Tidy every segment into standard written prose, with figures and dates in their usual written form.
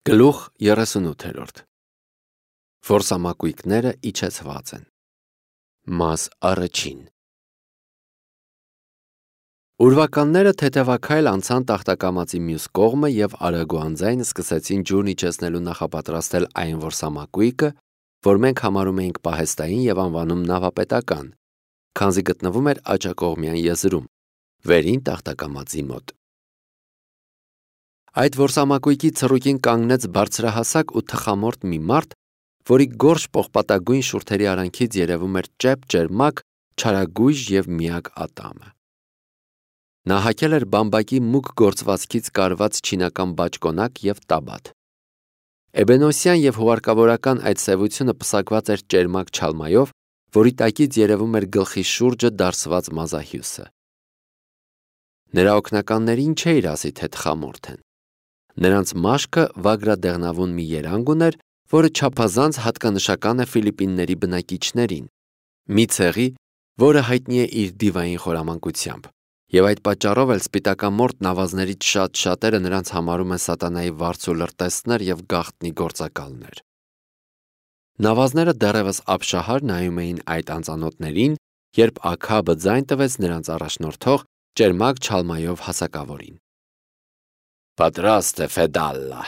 Գլուխ 38 Որսամակույկները իջեցված են։ Մաս առաջին Ուրվականները թեթևաքայլ անցան տախտակամածի մյուս կողմը և արագուանձայն սկսեցին ջուրն իջեցնելու նախապատրաստել այն որսամակույկը, որ մենք համարում էինք պահեստային և անվանում նավապետական, քանզի գտնվում էր աջակողմյան եզրում, վերին տախտակամածի մոտ։ Այդ որսամակույկի ցռուկին կանգնեց բարձրահասակ ու թխամորթ մի մարդ, որի գորշ պողպատագույն շուրթերի արանքից երևում էր ճեպ-ճերմակ, չարագույժ և միակ ատամը։ Նա հագել էր բամբակի մուգ գործվածքից կարված չինական բաճկոնակ և տաբատ։ Էբենոսյան և հուղարկավորական այդ սևությունը պսակված էր ճերմակ չալմայով, որի տակից երևում էր գլխի շուրջը դարսված մազահյուսը։ Նրա օգնականներին չէիր ասի, թե թխամորթ են։ Նրանց մաշկը վագրադեղնավուն մի երանգ ուներ, որը չափազանց հատկանշական է Ֆիլիպինների բնակիչներին, մի ցեղի, որը հայտնի է իր դիվային խորամանկությամբ, և այդ պատճառով էլ սպիտակամորթ նավազներից շատ-շատերը նրանց համարում են սատանայի վարձու լրտեսներ և գաղտնի գործակալներ։ Նավազները դեռևս ապշահար նայում էին այդ անծանոթներին, երբ Աքաբը ձայն տվեց նրանց առաջնորդող ճերմակ չալմայով հասակավորին։ «Պատրաստ է, Ֆեդալլա»։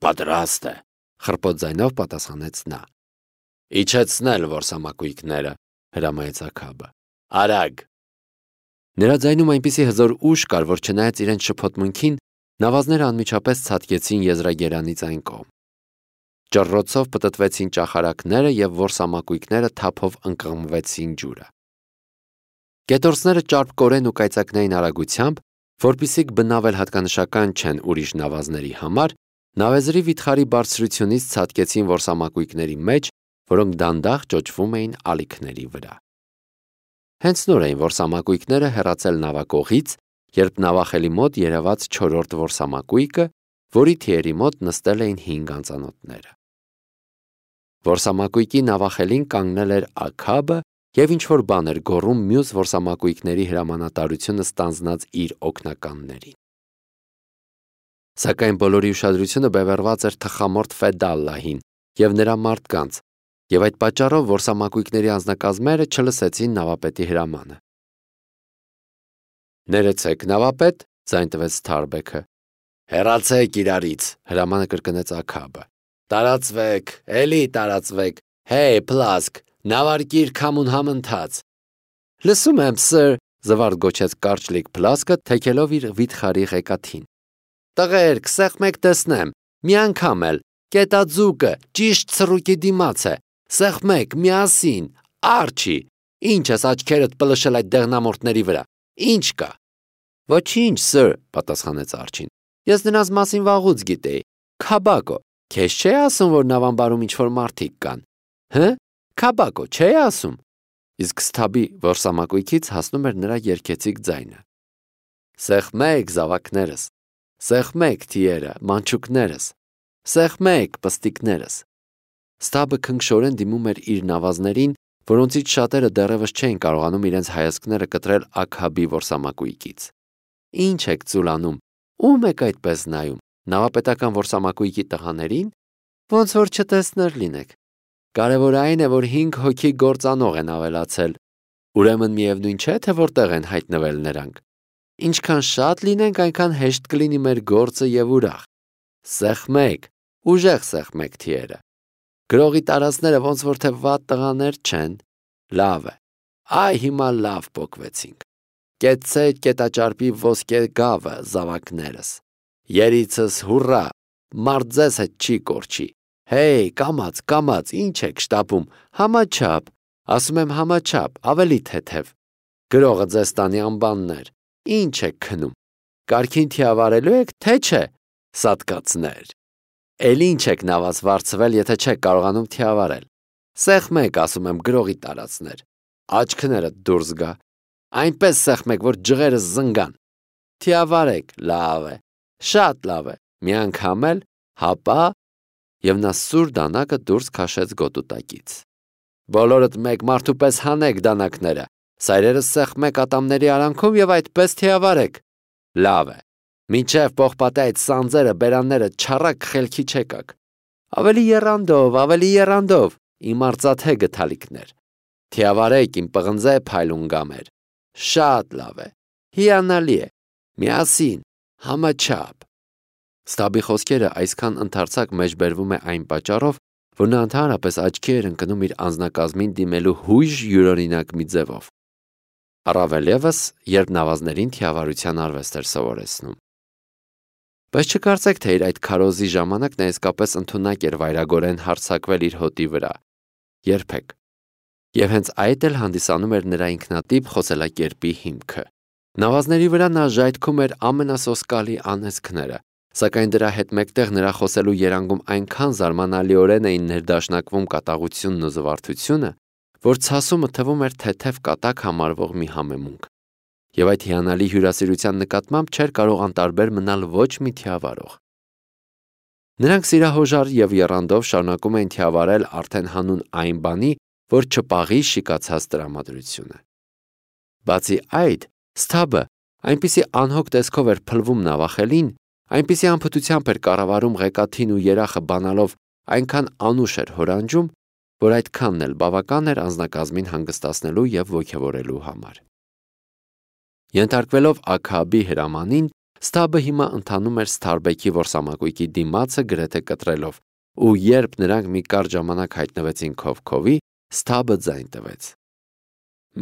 «Պատրաստ է», խռպոտ ձայնով պատասխանեց նա։ «Իջեցնել որսամակույկները», հրամայեց Աքաբը։ «Արագ»։ Նրա ձայնում այնպիսի հզոր ուժ կար, որ չնայած իրենց շփոթմունքին, նավազները անմիջապես ցատկեցին եզրագերանից այն կողմ։ Ճռռոցով պտտվեցին ճախարակները և որսամակույկները թափով ընկղմվեցին ջուրը։ Կետորսները ճարպկորեն ու կայծակնային արագությամբ, որպեսզի բնավ էլ հատկանշական չեն ուրիշ նավազների համար, նավեզրի վիթխարի բարձրությունից ցատկեցին որսամակույկների մեջ, որոնք դանդաղ ճոճվում էին ալիքների վրա։ Հենց նոր էին որսամակույկները հեռացել նավակողից, երբ նավախելի մոտ երևաց չորրորդ որսամակույկը, որի թիերի մոտ նստել էին 5 անծանոթները։ Որսամակույկի նավախելին կանգնել էր Աքաբը և ինչ-որ բան էր գոռում մյուս որսամակույկների հրամանատարությունը ստանձնած իր օգնականներին։ Սակայն բոլորի ուշադրությունը բևեռված էր թխամորթ Ֆեդալլահին և նրա մարդկանց, և այդ պատճառով որսամակույկների անձնակազմերը չլսեցին նավապետի հրամանը։ «Ներեցեք, նավապետ», ձայն տվեց Սթարբեքը։ «Հեռացեք իրարից», հրամանը կրկնեց Աքաբը։ «Տարածվեք, էլի տարածվեք, հեյ, Փլասկ, նավարկիր քամուն համընթաց»։ «Լսում եմ, սըր», զվարթ գոչեց կարճլիկ Փլասկը, թեքելով իր վիթխարի ղեկաթին։ «Տղերք, սեղմեք տեսնեմ, մի անգամ էլ, կետաձուկը ճիշտ ցռուկի դիմաց է, սեղմեք, միասին, արջի, ինչ ես աչքերդ պլշել այդ դեղնամորթների վրա, ինչ կա»։ «Ոչինչ, սըր», պատասխանեց արջին, «ես նրանց մասին վաղուց գիտեի, Քաբակո, քեզ չէի ասում, որ նավամբարում ինչ-որ մարդիկ կան, հը, Քաբակո, չէի ասում»։ Իսկ Սթաբի որսամակույկից հասնում էր նրա երգեցիկ ձայնը։ «Սեղմեք, զավակներս, սեղմեք, թիերը, մանչուկներս, սեղմեք, պստիկներս»։ Սթաբը քնքշորեն դիմում էր իր նավազներին, որոնցից շատերը դեռևս չէին կարողանում իրենց հայացքները կտրել Աքաբի որսամակույկից։ «Ինչ եք ծուլանում, ո՞ւմ եք այդպես նայում, նավապետական որսամակույկի տղաների՞ն, ոնց որ չտեսներ լինեք։ Կարևորը այն է, որ 5 հոգի գործանող են ավելացել, ուրեմն միևնույն չէ, թե որտեղ են հայտնվել նրանք։ Ինչքան շատ լինենք, այնքան հեշտ կլինի մեր գործը և ուրախ։ Սեղմեք, ուժեղ սեղմեք, թիերը։ Գրողի տարածները ոնց որ թե վատ տղաներ չեն։ Լավ է, այ հիմա լավ պոկվեցինք։ Կեցցե կետաճարպի ոսկե գավը, զավակներս։ Երիցս հուռա, մարդ ձեզ հետ չի կորչի։ Հեյ, կամաց, կամաց, ինչ եք շտապում, համաչափ, ասում եմ համաչափ, ավելի թեթև։ Գրողը ձեզ տանի անբաններ, ինչ եք քնում։ Կարգին թիավարելու եք, թե չէ, սատկացներ։ Էլ ինչ եք նավազ վարձվել, եթե չեք կարողանում թիավարել։ Սեղմեք, ասում եմ, գրողի տարածներ։ Աչքներդ դուրս գա։ Այնպես սեղմեք, որ ջղերս զնգան։ Թիավարեք, լավ է, շատ լավ է, մի անգամ էլ, հապա։ Եվ նա սուր դանակը դուրս քաշեց գոտու տակից։ Բոլորդ մեկ մարդու պես հանեք դանակները, սայրերս սեղմեք ատամների արանքում և այդպես թիավարեք։ Լավ է, Մինչև պողպատե այդ սանձերը, բերանները չառակ խելքի չեկակ։ Ավելի եռանդով, իմ արծաթե գթալիքներ։ Թիավարեք իմ պղնձե փայլուն գամեր։ Շատ լավ է, հիանալի է, միասին, համաչափ։ Ստաբի խոսքերը այսքան ընդարձակ մեջբերվում է այն պատճառով, որ նա ընդհանրապես աչքի էր ընկնում իր անձնակազմին դիմելու հույժ յուրօրինակ մի ձևով։ Առավել ևս, երբ նավազներին թիավարության արվեստ էր սովորեցնում։ Բայց չկարծեք, թե իր այդ քարոզի ժամանակ նա իսկապես ընդունակ էր վայրագորեն հարձակվել իր հոտի վրա։ Երբեք։ Եվ հենց այդ էլ հանդիսանում էր նրա ինքնատիպ խոսելակերպի հիմքը։ Նավազների վրա նա ժայթքում էր ամենասոսկալի անեծքները, սակայն դրա հետ մեկտեղ նրա խոսելու երանգում այնքան զարմանալիորեն էին ներդաշնակվում կատաղությունն ու զվարթությունը, որ ցասումը թվում էր թեթև կատակ համարվող մի համեմունք։ Եվ այդ հիանալի հյուրասիրության նկատմամբ չէր կարող անտարբեր մնալ ոչ մի թիավարող։ Նրանք սիրահոժար եւ եռանդով շարունակում էին թիավարել արդեն հանուն այն բանի, որ չպաղի շիկացած տրամադրությունը։ Բացի այդ, Սթաբը այնպիսի անհոգ տեսքով էր փլվում նավախելին, այնպիսի անփթությամբ էր կառավարում ղեկաթին ու երախը բանալով այնքան անուշ էր հորանջում, որ այդքանն էլ բավական էր անձնակազմին հանգստացնելու եւ ոգևորելու համար։ Ենթարկվելով Աքաբի հրամանին, Սթաբը հիմա ընթանում էր Սթարբեքի որսամակույկի դիմացը գրեթե կտրելով, ու երբ նրանք մի կարճ ժամանակ հայտնվեցին քովքովի, Սթաբը ձայն տվեց։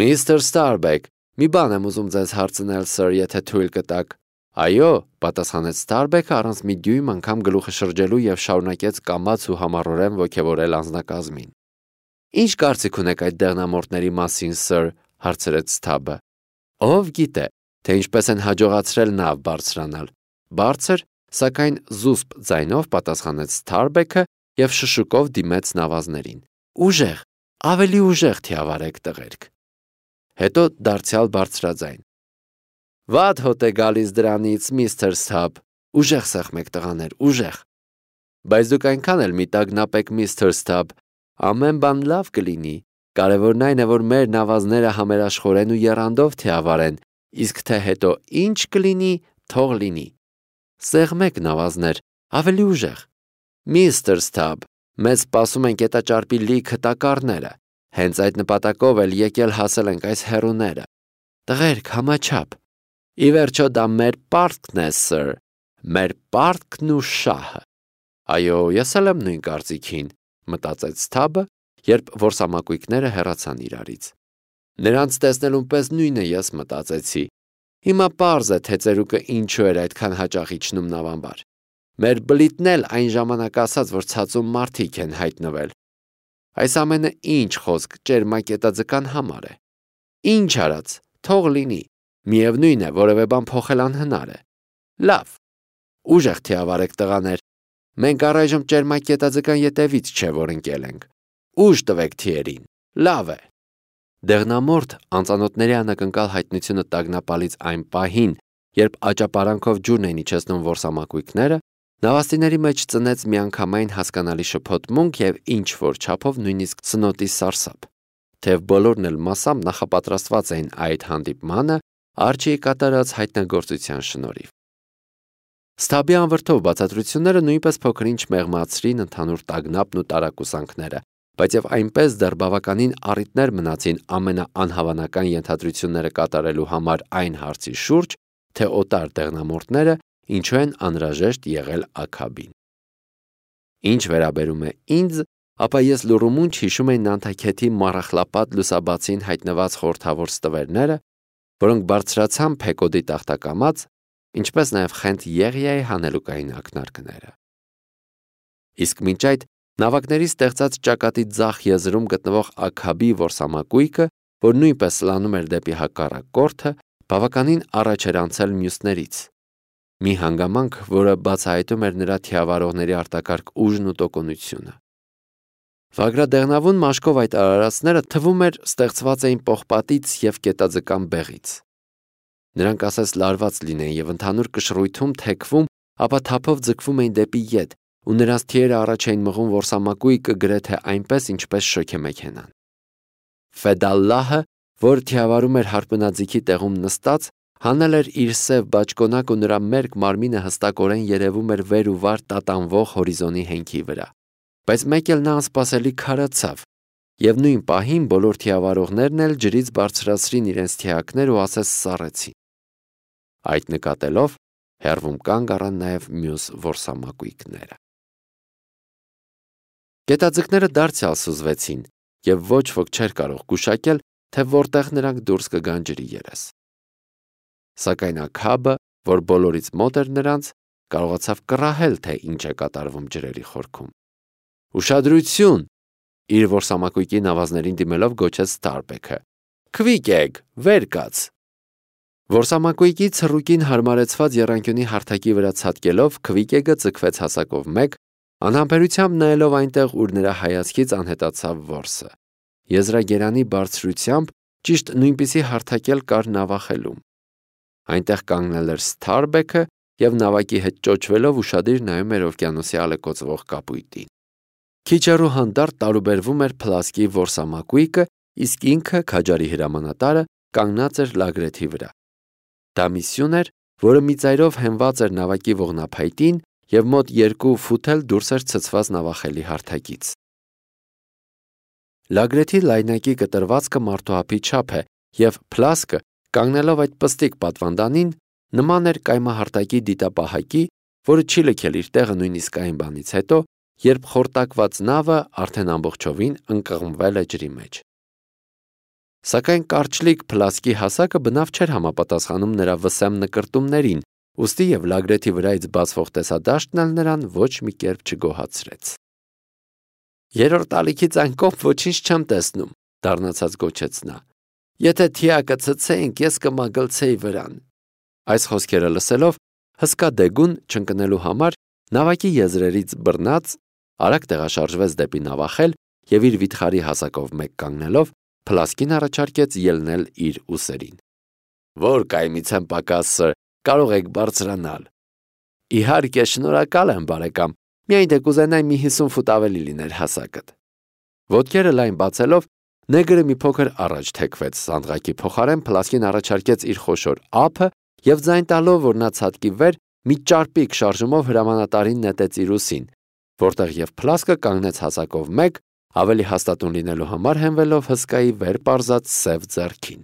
Միստր Սթարբեք, մի բան եմ ուզում ձեզ հարցնել, սըր, եթե թույլ կտաք։ Այո, պատասխանեց Սթարբեքը առանց մի դյույմ անգամ գլուխը շրջելու եւ շարունակեց կամաց ու համառորեն ոգևորել անձնակազմին։ Ինչ կարծիք ունեք այդ դեղնամորտների մասին, սըր, հարցրեց Սթաբը։ Ով գիտե, թե ինչպես են հաջողացրել նավ բարձրանալ։ Բարձր, սակայն զուսպ ձայնով պատասխանեց Սթարբեքը եւ շշուկով դիմեց նավազներին։ Ուժեղ, ավելի ուժեղ թիավարեք տղերք։ Հետո դարձյալ բարձրաձայն. Վատ հոտ է գալիս դրանից, միստր Սթաբ, ուժեղ սեղմեք տղաներ, ուժեղ։ Բայց դուք այնքան էլ մի տագնապեք, միստր Սթաբ, ամեն բան լավ կլինի, կարևորն այն է, որ մեր նավազները համերաշխորեն ու եռանդով թիավարեն, իսկ թե հետո ինչ կլինի, թող լինի։ Սեղմեք նավազներ, ավելի ուժեղ։ Միստր Սթաբ, մեզ սպասում են կետաճարպի լիքը տակառները, հենց այդ նպատակով էլ եկել հասել ենք այս հեռուները։ Տղերք, համաչափ։ Ի վերջո դա մեր պարտքն է, սըր, մեր պարտքն ու շահը։ Այո, ես էլ եմ նույն կարծիքին, մտածեց Սթաբը, երբ որսամակույկները հեռացան իրարից։ Նրանց տեսնելուն պես նույնը ես մտածեցի։ Հիմա պարզ է, թե ծերուկը ինչու էր այդքան հաճախ իջնում նավամբար։ Մեր բլիթն էլ այն ժամանակ ասաց, որ ցածում մարդիկ են հայտնվել։ Այս ամենը ինչ խոսք ճերմակետաձկան համար է։ Ինչ արած, թող լինի, միևնույն է, որևէ բան փոխել անհնար է։ Լավ, ուժեղ թիավարեք տղաներ, մենք առայժմ ճերմակետաձկան ետևից չէ, որ ընկել ենք։ Ուժ տվեք թիերին, լավ է։ Դեղնամորթ անծանոթների անակնկալ հայտնությունը տագնապալից այն պահին, երբ աճապարանքով ջուրն էին իջեցնում որսամակույկները, նավաստիների մեջ ծնեց միանգամայն հասկանալի շփոթմունք եւ ինչ-որ չափով նույնիսկ սնոտի սարսափ, թեև բոլորն էլ մասամբ նախապատրաստված էին այդ հանդիպմանը Արջիի կատարած հայտնագործության շնորհիվ։ Սթաբի անվրդով բացատրությունները նույնպես փոքր-ինչ մեղմացրին ընդհանուր տագնապն ու տարակուսանքները, բայց եւ այնպես դեռ բավականին առիթներ մնացին ամենաանհավանական ենթադրությունները կատարելու համար այն հարցի շուրջ, թե օտար դեղնամորտները ինչու են անհրաժեշտ եղել Աքաբին։ Ինչ վերաբերում է ինձ, ապա ես լուրումունջ հիշում եմ Նանթաքեթի մառախլապատ լուսաբացին հայտնված խորթավոր ստվերները, որոնք բարձրացան Փեկոդի տախտակամած, ինչպես նաև Խենթ Եղիայի հանելուկային ակնարկները։ Իսկ մինչ այդ նավակների ստեղծած ճակատի ձախ եզրում գտնվող Աքաբի որսամակույկը, որ նույնպես սլանում էր դեպի հակառակ կորդը, բավականին առաջ էր անցել մյուսներից։ Մի հանգամանք, որը բացահայտում էր նրա թիավարողների արտակարգ ուժն ու տոկունությունը։ Վագրադեղնավուն մաշկով այդ արարածները թվում էր ստեղծված էին պողպատից եւ կետաձկան բեղից։ Նրանք ասես լարված լինեին եւ ընդհանուր կշռույթում թեքվում, ապա թափով ձգվում էին դեպի ետ, ու նրանց թիերը առաջ էին մղում որսամակույկը գրեթե այնպես, ինչպես շոգեմեքենան։ Ֆեդալլահը, որ թիավարում էր հարբնաձիգի տեղում նստած, Հանել էր իր սև բաճկոնակ ու նրա մերկ մարմինը հստակորեն երևում էր վեր ու վար տատանվող հորիզոնի հենքի վրա։ Բայց մեկ էլ նա անսպասելի քարացավ, եւ նույն պահին բոլոր թիավարողներն էլ ջրից բարձրացրին իրենց թիակներ ու ասես սառեցին։ Այդ նկատելով հեռվում կանգ առան նաև մյուս որսամակույկները։ Գետաձկները դարձյալ սուզվեցին, եւ ոչ ոք չէր կարող գուշակել, թե որտեղ նրանք դուրս կգան ջրի երես։ Սակայն Աքաբը, որ բոլորից մոտ էր նրանց, կարողացավ կռահել, թե ինչ է կատարվում ջրերի խորքում։ Ուշադրություն, իր որսամակույկի նավազներին դիմելով գոչեց Սթարբեքը։ Քվիկ եք, վեր կաց։ Որսամակույկի ցռուկին հարմարեցված եռանկյունի հարթակի վրա ցատկելով Քվիկեգը ձգվեց հասակով մեկ, անհամբերությամբ նայելով այնտեղ, ուր նրա հայացքից անհետացավ որսը։ Եզրագերանի բարձրությամբ ճիշտ նույնպիսի հարթակել կար նավախելում։ Այնտեղ կանգնել էր Սթարբեքը եւ նավակի հետ ճոճվելով ուշադիր նայում էր օվկիանոսի ալեկոծվող կապույտին։ Քիչ հեռու հանդարտ տարուբերվում էր Փլասկի որսամակույկը, իսկ ինքը քաջարի հրամանատարը կանգնած էր լագրեթի վրա։ Դա մի սյուն էր, որը մի ծայրով հենված էր նավակի ողնափայտին եւ մոտ 2 ֆուտ էլ դուրս էր ցցված նավախելի հարթակից։ Լագրեթի լայնակի կտրվածքը մարդուհապի չափ է եւ Փլասկը, կանգնելով այդ պստիկ պատվանդանին, նման էր կայմահարտակի դիտապահակի, որը չի լքել իր տեղը նույնիսկ այն բանից հետո, երբ խորտակված նավը արդեն ամբողջովին ընկղմվել է ջրի մեջ։ Սակայն կարճլիկ Փլասկի հասակը բնավ չէր համապատասխանում նրա վսեմ նկրտումներին, ուստի եւ լագրեթի վրայից բացվող տեսադաշտն էլ նրան ոչ մի կերպ չգոհացրեց։ Երրորդ ալիքից այն կողմ ոչինչ չեմ տեսնում, դառնացած գոչեց նա։ Եթե թիակը ցցեինք, ես կմագլցեի վրան։ Այս խոսքերը լսելով, հսկա դեգուն չընկնելու համար նավակի եզրերից բռնած, արագ տեղաշարժվեց դեպի նավախել եւ իր վիթխարի հասակով մեկ կանգնելով, Փլասկին առաջարկեց ելնել իր ուսերին։ Որ կայմից եմ պակաս, կարող եք բարձրանալ։ Իհարկե, շնորհակալ եմ, բարեկամ, միայն թե կուզենայի մի 50 ֆուտ ավելի լիներ հասակդ։ Ոտքերը լայն բացելով, նեգրը մի փոքր առաջ թեքվեց սանդղակի փոխարեն, Փլասկին առաջարկեց իր խոշոր ափը եւ ձայն տալով, որ նա ցատկի վեր, մի ճարպիկ շարժումով հրամանատարին նետեց իր ուսին, որտեղ եւ Փլասկը կանգնեց հասակով մեկ, ավելի հաստատուն լինելու համար հենվելով հսկայի վեր պարզած սև ձեռքին։